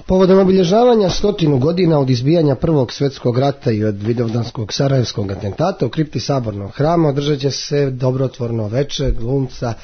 Povodom obilježavanja 100 godina od izbijanja Prvog svjetskog rata i od vidovdanskog sarajevskog atentata u kripti Sabornog hrama održat će se dobrotvorno veče glumca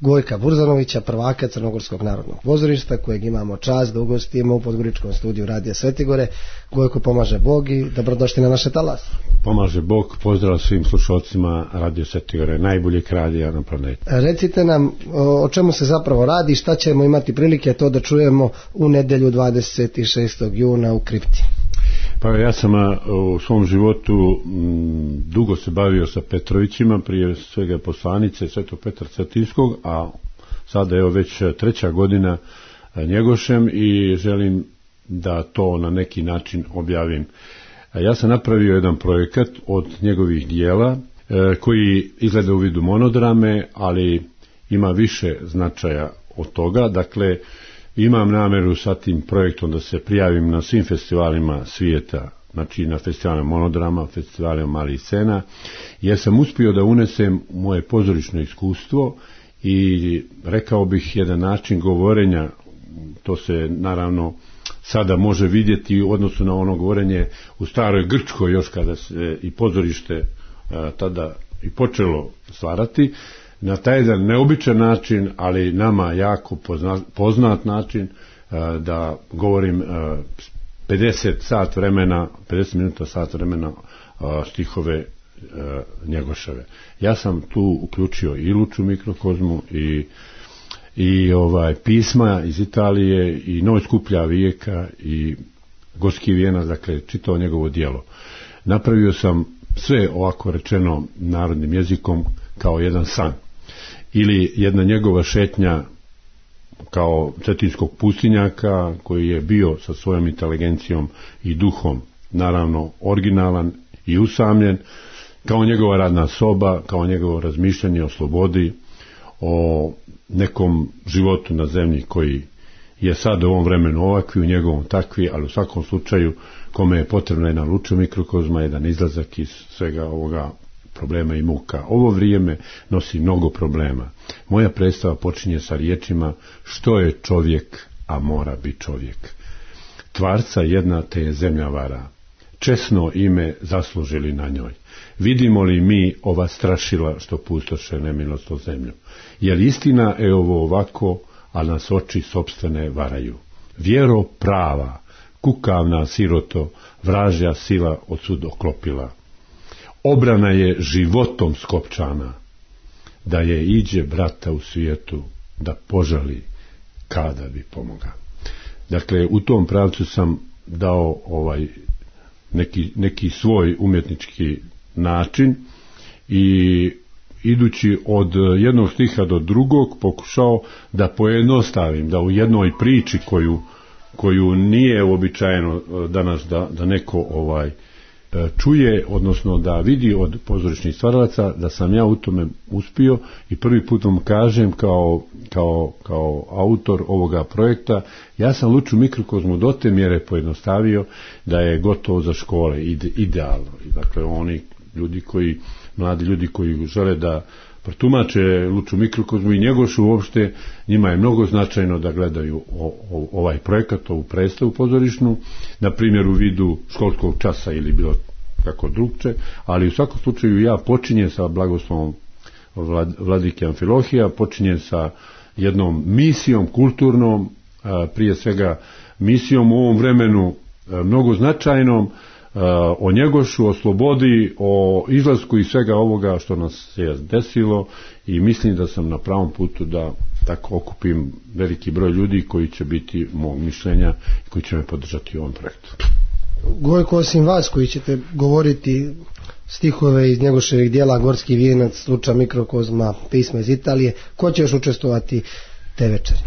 Gojka Burzanovića, prvaka Crnogorskog narodnog pozorišta, kojeg imamo čast da ugostimo u Podgoričkom studiju Radija Svetigore. Gojko, pomaže Bog i dobrodošli na naše talas. Pomaže Bog, pozdrav svim slušalcima Radio Svetigore, najboljeg radija na planeti. Recite nam o čemu se zapravo radi, šta ćemo imati prilike to da čujemo u nedjelju 26. juna u kripti. Pa ja sam u svom životu dugo se bavio sa Petrovićima, prije svega poslanice Svetog Petra Cetinskog, a sada je već 3. godina Njegošem i želim da to na neki način objavim. Ja sam napravio jedan projekat od njegovih dijela koji izgleda u vidu monodrame, ali ima više značaja od toga. Dakle, imam namjeru sa tim projektom da se prijavim na svim festivalima svijeta, znači na festivalima monodrama, festivalima malih scena, jer sam uspio da unesem moje pozorišno iskustvo i rekao bih jedan način govorenja, to se naravno sada može vidjeti u odnosu na ono govorenje u staroj Grčkoj, još kada se i pozorište tada i počelo stvarati, na taj jedan neobičan način, ali nama jako poznat način, da govorim 50 minuta, sat vremena stihove Njegoševe. Ja sam tu uključio i Luču mikrokozmu i pisma iz Italije i Noj skuplja vijeka i Gorski vijenac, dakle čitao njegovo djelo. Napravio sam sve, ovako rečeno narodnim jezikom, kao jedan san ili jedna njegova šetnja kao cetinskog pustinjaka koji je bio sa svojom inteligencijom i duhom naravno originalan i usamljen, kao njegova radna soba, kao njegovo razmišljanje o slobodi, o nekom životu na zemlji koji je sad u ovom vremenu ovakvi, u njegovom takvi, ali u svakom slučaju kome je potrebna jedna Luča mikrokozma, jedan izlazak iz svega ovoga problema i muka. Ovo vrijeme nosi mnogo problema. Moja predstava počinje sa riječima: što je čovjek, a mora biti čovjek. Tvarca jedna te je zemlja vara, česno ime zaslužili na njoj. Vidimo li mi ova strašila što pustoše nemilosno zemlju? Jer istina je ovo ovako, a nas oči sopstvene varaju. Vjero prava, kukavna siroto, vražja sila od sud oklopila. Obrana je životom skopčana, da je iđe brata u svijetu, da požali kada bi pomoga. Dakle, u tom pravcu sam dao neki svoj umjetnički način i idući od jednog stiha do drugog pokušao da pojednostavim, da u jednoj priči koju nije uobičajeno danas da neko čuje, odnosno da vidi od pozorišnih stvaralaca, da sam ja u tome uspio i prvi put vam kažem kao autor ovoga projekta, ja sam Luču mikrokozmu do te mjere pojednostavio da je gotovo za škole, idealno. Dakle, oni mladi ljudi koji žele da protumače Luču mikrokozmu i Njegošu uopšte, njima je mnogo značajno da gledaju ovaj projekat, ovu predstavu pozorišnu, na primjer u vidu školskog časa ili bilo kako drugče, ali u svakom slučaju ja počinjem sa blagoslovom vladike Amfilohija, počinjem sa jednom misijom kulturnom, prije svega misijom u ovom vremenu mnogo značajnom, o Njegošu, o slobodi, o izlasku i svega ovoga što nas se desilo, i mislim da sam na pravom putu da tako okupim veliki broj ljudi koji će biti mog mišljenja i koji će me podržati u ovom projektu. Gojko, osim vas koji ćete govoriti stihove iz Njegoševih dijela Gorski vijenac, Luča mikrokozma, pisma iz Italije, ko će još učestvovati te večeri?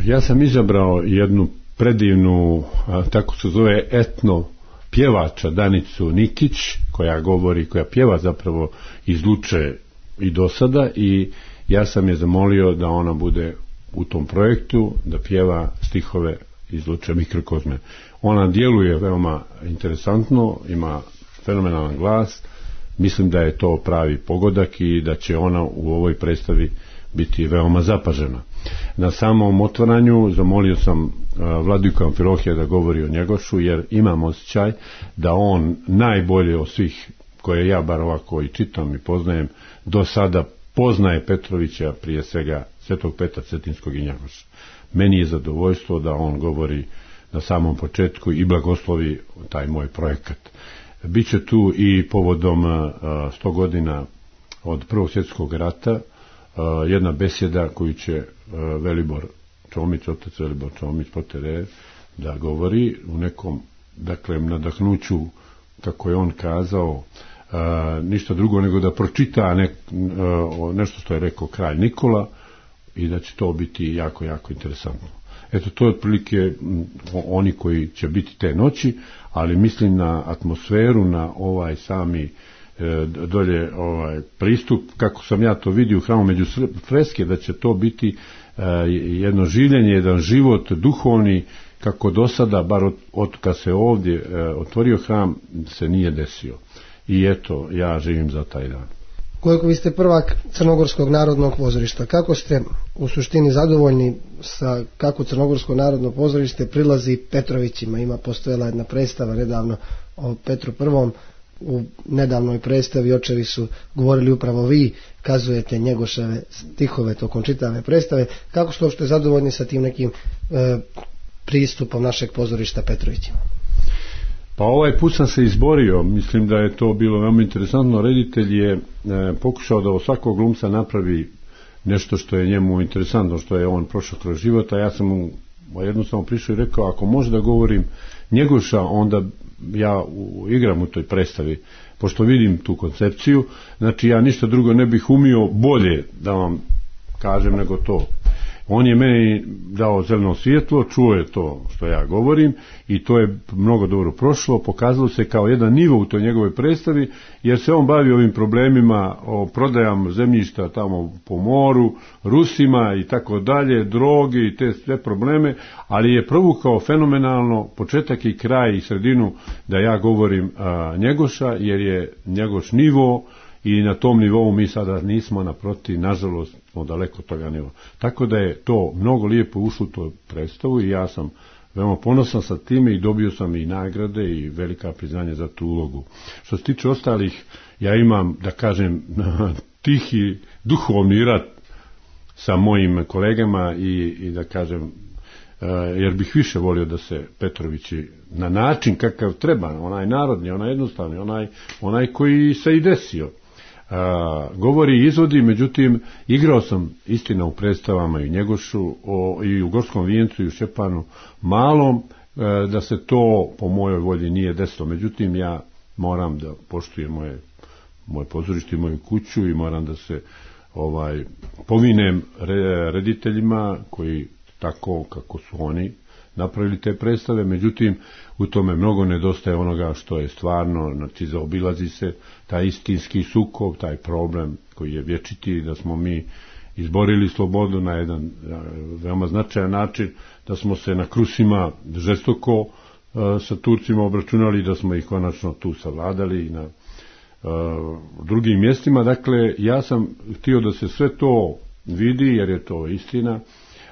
Ja sam izabrao jednu predivnu, tako se zove, etno pjevača Danicu Nikić, koja pjeva zapravo iz Luče i do sada, i ja sam je zamolio da ona bude u tom projektu, da pjeva stihove iz Luče mikrokozme. Ona djeluje veoma interesantno, ima fenomenalan glas, mislim da je to pravi pogodak i da će ona u ovoj predstavi biti veoma zapažena. Na samom otvaranju zamolio sam Vladiku Amfilohija da govori o Njegošu, jer imam osjećaj da on najbolje od svih koje ja bar ovako i čitam i poznajem do sada poznaje Petrovića, prije svega Svetog Petra Cetinskog i Njegoša. Meni je zadovoljstvo da on govori na samom početku i blagoslovi taj moj projekat. Biće tu i povodom 100 godina od Prvog svjetskog rata jedna besjeda koju će Velibor Čomić, otac Velibor Čomić Potere, da govori u nekom, dakle, nadahnuću, kako je on kazao, ništa drugo nego da pročita nešto što je rekao kralj Nikola i da će to biti jako, jako interesantno. Eto, to je otprilike oni koji će biti te noći, ali mislim na atmosferu, na ovaj sami dolje pristup, kako sam ja to vidio u hramu među freske, da će to biti jedno življenje, jedan život duhovni, kako do sada, bar od kad se ovdje otvorio hram, se nije desio. I eto, ja živim za taj dan. Koliko vi ste prvak Crnogorskog narodnog pozorišta, kako ste u suštini zadovoljni sa kako Crnogorsko narodno pozorište prilazi Petrovićima? Postojala jedna predstava nedavno o Petru I. U nedavnoj predstavi očevi su govorili upravo vi, kazujete Njegoševe stihove tokom čitave predstave. Kako ste uopšte zadovoljni sa tim nekim pristupom našeg pozorišta Petrovićima? Pa ovaj put sam se izborio, mislim da je to bilo veoma interesantno. Reditelj je pokušao da od svakog glumca napravi nešto što je njemu interesantno, što je on prošao kroz život, a ja sam mu jednostavno prišao i rekao, ako može da govorim Njegoša, onda ja igram u toj predstavi, pošto vidim tu koncepciju, znači ja ništa drugo ne bih umio bolje da vam kažem nego to. On je meni dao zeleno svjetlo, čuo je to što ja govorim i to je mnogo dobro prošlo, pokazalo se kao jedan nivo u toj njegovoj predstavi, jer se on bavi ovim problemima o prodajama zemljišta tamo po moru, Rusima i tako dalje, droge i te sve probleme, ali je provukao fenomenalno početak i kraj i sredinu da ja govorim Njegoša, jer je Njegoš nivo i na tom nivou mi sada nismo, naprotiv, nažalost smo daleko toga nivoa. Tako da je to mnogo lijepo ušlo u tu predstavu i ja sam veoma ponosan sa time i dobio sam i nagrade i velika priznanja za tu ulogu. Što se tiče ostalih, ja imam, da kažem, tihi duhovni rat sa mojim kolegama i da kažem, jer bih više volio da se Petrovići na način kakav treba, onaj narodni, onaj jednostavni, onaj koji se i desio, govori i izvodi. Međutim, igrao sam istina u predstavama i Njegošu i u Gorskom vijencu i u Šćepanu malom, da se to po mojoj volji nije desilo. Međutim, ja moram da poštujem moje pozorište i moju kuću i moram da se povinem rediteljima koji tako kako su oni napravili te predstave. Međutim, u tome mnogo nedostaje onoga što je stvarno, znači zaobilazi se taj istinski sukob, taj problem koji je vječiti, da smo mi izborili slobodu na jedan veoma značajan način, da smo se na krusima žestoko sa Turcima obračunali, da smo ih konačno tu savladali i na drugim mjestima. Dakle, ja sam htio da se sve to vidi, jer je to istina.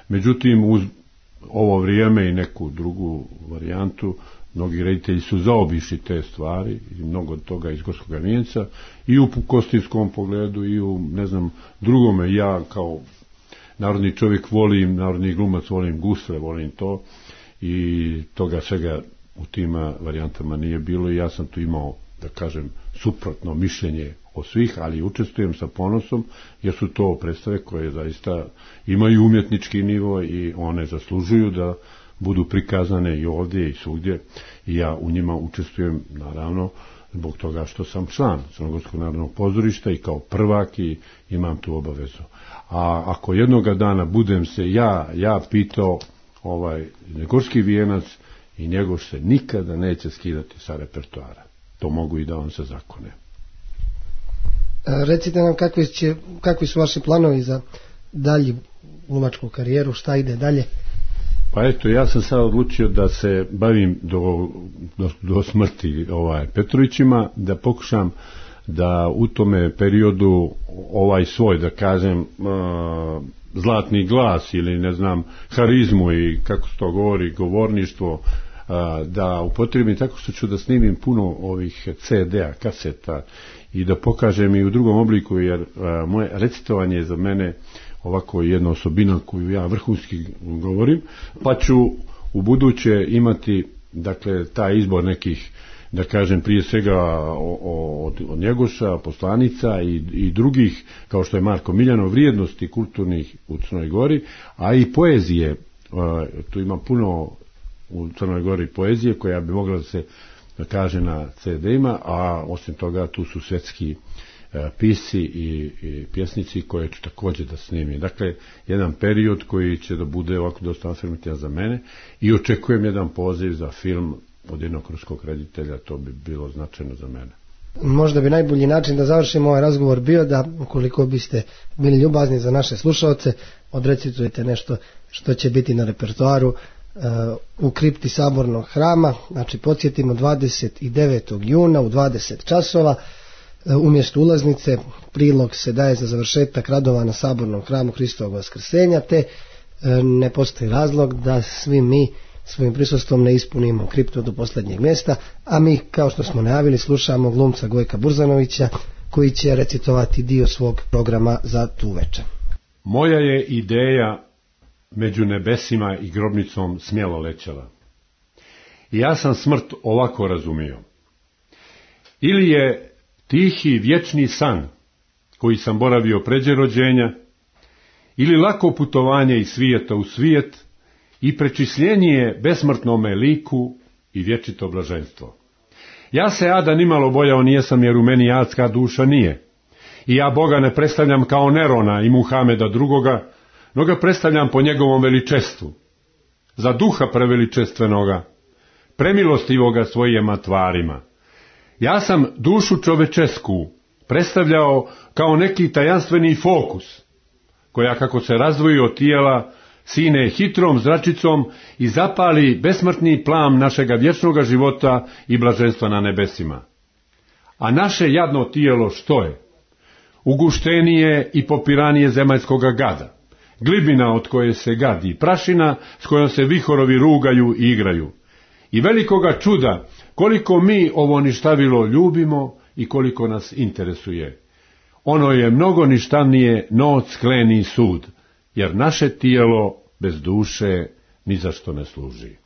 Međutim, uz ovo vrijeme i neku drugu varijantu, mnogi reditelji su zaobišli te stvari i mnogo toga iz Gorskog vijenca i u kostinskom pogledu i u drugome. Ja kao narodni čovjek volim, narodni glumac volim gusle, volim to i toga svega u tim varijantama nije bilo i ja sam tu imao, da kažem, suprotno mišljenje od svih, ali učestvujem sa ponosom, jer su to predstave koje zaista imaju umjetnički nivo i one zaslužuju da budu prikazane i ovdje i svugdje i ja u njima učestvujem, naravno, zbog toga što sam član Crnogorskog narodnog pozorišta i kao prvak i imam tu obavezu. A ako jednoga dana budem se ja pitao Gorski vijenac i Njegoš se nikada neće skidati sa repertoara. To mogu i da vam se zakone. Recite nam kakvi su vaši planovi za dalju glumačku karijeru, šta ide dalje? Pa eto, ja sam sad odlučio da se bavim do smrti Petrovićima, da pokušam da u tome periodu svoj, da kažem, zlatni glas ili ne znam harizmu i kako se to govori, govorništvo, da upotrijebim tako što ću da snimim puno ovih CD-a, kaseta i da pokažem i u drugom obliku, jer moje recitovanje je za mene ovako jedna osobina koju ja vrhunski govorim, pa ću u buduće imati, dakle, taj izbor nekih, da kažem, prije svega od Njegoša, poslanica i drugih, kao što je Marko Miljanov, vrijednosti kulturnih u Crnoj Gori, a i poezije. Tu ima puno u Crnoj Gori poezije koja bi mogla da se kaže na CD-ima, a osim toga tu su svetski pisci i pjesnici koje ću također da snimim. Dakle, jedan period koji će da bude ovako dosta afirmativan za mene i očekujem jedan poziv za film od jednog ruskog reditelja, to bi bilo značajno za mene. Možda bi najbolji način da završimo ovaj razgovor bio da, ukoliko biste bili ljubazni za naše slušalce, odrecitujete nešto što će biti na repertoaru u kripti Sabornog hrama. Znači, podsjetimo, 29. juna u 20 časova umjesto ulaznice prilog se daje za završetak radova na Sabornom hramu Hristovog vaskrsenja, te ne postoji razlog da svi mi svojim prisustvom ne ispunimo kriptu do posljednjeg mjesta, a mi, kao što smo najavili, slušamo glumca Gojka Burzanovića koji će recitovati dio svog programa za tu večer. Moja je ideja među nebesima i grobnicom smjelo lećela. I ja sam smrt ovako razumio. Ili je tihi vječni san koji sam boravio pređe rođenja, ili lako putovanje iz svijeta u svijet i prečisljenje besmrtnome liku i vječito blaženstvo. Ja se ada nimalo bojao nijesam, jer u meni adska duša nije. I ja Boga ne predstavljam kao Nerona i Muhameda drugoga, no ga predstavljam po njegovom veličestvu. Za duha preveličestvenoga, premilostivoga svojima tvarima. Ja sam dušu čovečesku predstavljao kao neki tajanstveni fokus, koja kako se razdvoji od tijela, sine hitrom zračicom i zapali besmrtni plam našega vječnoga života i blaženstva na nebesima. A naše jadno tijelo što je? Uguštenije i popiranije zemaljskoga gada, glibina od koje se gadi, prašina s kojom se vihorovi rugaju i igraju. I velikoga čuda koliko mi ovo ništavilo ljubimo i koliko nas interesuje. Ono je mnogo ništavnije noć skleni sud, jer naše tijelo bez duše ni za što ne služi.